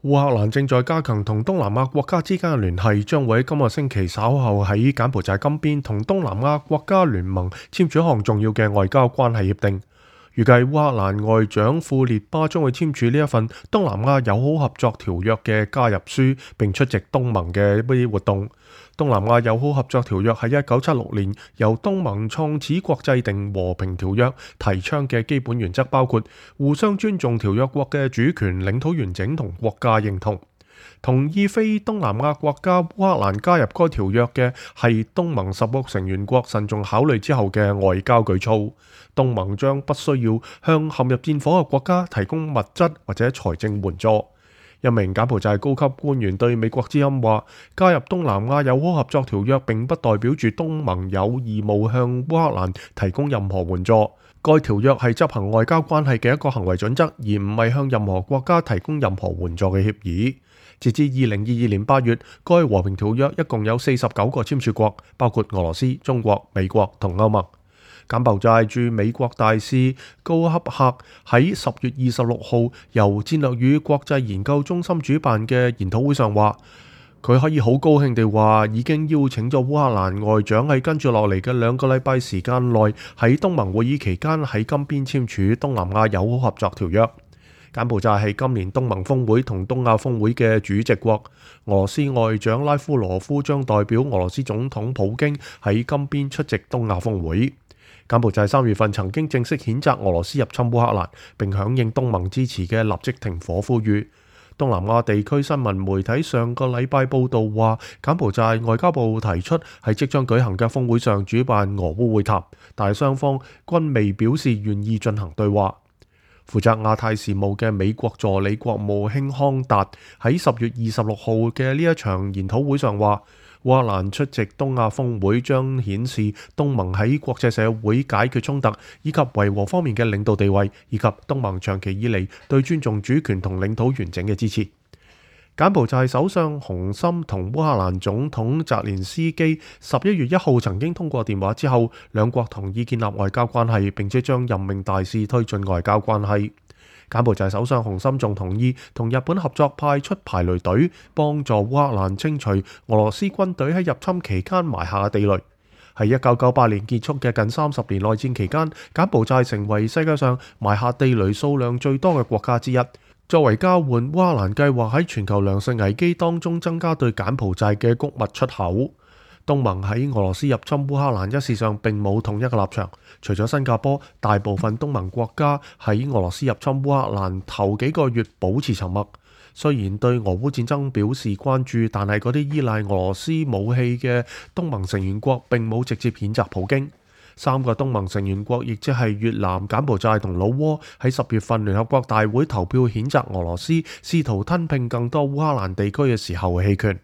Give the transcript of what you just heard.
烏克蘭正在加強同東南亞國家之間嘅聯繫，將會喺今個星期稍後喺柬埔寨金邊同東南亞國家聯盟簽署一項重要嘅外交關係協定。預計烏克蘭外長庫列巴將會簽署呢一份東南亞友好合作條約嘅加入書，並出席東盟嘅一啲活動。東南亞友好合作條約喺1976年由東盟創始國制定和平條約，提倡嘅基本原則包括互相尊重條約國嘅主權、領土完整同國家認同。同意非東南亞國家烏克蘭加入該條約嘅係東盟10個成員國慎重考慮之後嘅外交舉措。東盟將不需要向陷入戰火嘅國家提供物質或者財政援助。一名柬埔寨高級官員對美國之音話：加入東南亞友好合作條約並不代表住東盟有義務向烏克蘭提供任何援助。該條約係執行外交關係嘅一個行為準則，而唔係向任何國家提供任何援助嘅協議。截至2022年8月，該和平條約一共有49個簽署國，包括俄羅斯、中國、美國同歐盟。柬埔寨駐美國大使高恰克喺10月26號由戰略與國際研究中心主辦嘅研討會上話，佢可以好高興地話已經邀請咗烏克蘭外長喺跟住落嚟嘅2個禮拜時間內喺東盟會議期間喺金邊簽署東南亞友好合作條約。柬埔寨係今年東盟峰會同東亞峰會嘅主席國。俄羅斯外長拉夫羅夫將代表俄羅斯總統普京喺金邊出席東亞峰會。柬埔寨3月份曾經正式譴責俄羅斯入侵烏克蘭，並響應東盟支持嘅立即停火呼籲。東南亞地區新聞媒體上個禮拜報道話，柬埔寨外交部提出喺即將舉行嘅峰會上主辦俄烏會談，但係雙方均未表示願意進行對話。負責亞太事務嘅美國助理國務卿康達喺10月26號嘅呢一場研討會上話，烏克蘭出席東亞峰會將顯示東盟喺國際社會解決衝突以及維和方面嘅領導地位，以及東盟長期以嚟對尊重主權同領土完整嘅支持。柬埔寨首相洪森同烏克蘭總統澤連斯基11月1號曾經通過電話之後，兩國同意建立外交關係，並且將任命大使推進外交關係。柬埔寨首相洪森仲同意同日本合作派出排雷隊，幫助烏克蘭清除俄羅斯軍隊喺入侵期間埋下嘅地雷。喺1998年結束嘅近30年內戰期間，柬埔寨成為世界上埋下地雷數量最多嘅國家之一。作為交換，烏克蘭計劃喺全球糧食危機當中增加對柬埔寨嘅穀物出口。東盟喺俄羅斯入侵烏克蘭一事上並冇統一嘅立場，除咗新加坡，大部分東盟國家喺俄羅斯入侵烏克蘭頭幾個月保持沉默。雖然對俄烏戰爭表示關注，但係嗰啲依賴俄羅斯武器嘅東盟成員國並冇直接譴責普京。3個東盟成員國，亦即係越南、柬埔寨同老撾，喺10月份聯合國大會投票譴責俄羅斯試圖吞併更多烏克蘭地區嘅時候棄權。